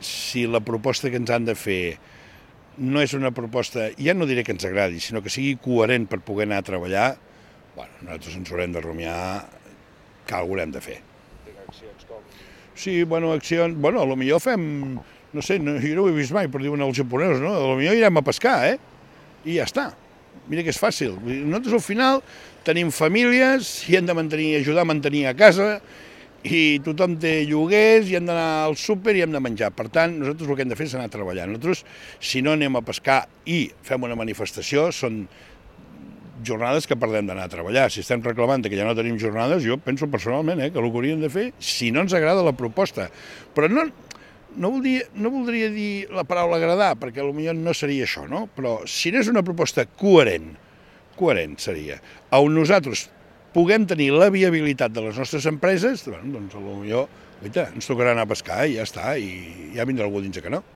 si la proposta que ens han de fer no és una proposta, ja no diré que ens agradi, sinó que sigui coherent per poder anar a treballar, bueno, nosaltres ens haurem de rumiar que alguna cosa hem de fer. Accions com... Sí, bueno, accions... Bueno, potser fem... No sé, jo no ho he vist mai, però diuen els japonesos, no? Potser irem a pescar, I ja està. Mira que és fàcil. Nosaltres al final tenim famílies i hem de ajudar a mantenir a casa i tothom té lloguers i hem d'anar al súper i hem de menjar. Per tant, nosaltres el que hem de fer és anar a treballar. Nosaltres, si no anem a pescar i fem una manifestació, són jornades que perdem d'anar a treballar. Si estem reclamant que ja no tenim jornades, jo penso personalment que el que hauríem de fer, si no ens agrada la proposta. Però no voldria dir la paraula agradar, perquè potser no seria això, no? Però si no és una proposta coherent seria, on nosaltres puguem tenir la viabilitat de les nostres empreses, doncs potser ens tocarà anar a pescar i ja està, i ja vindrà algú a dir que no.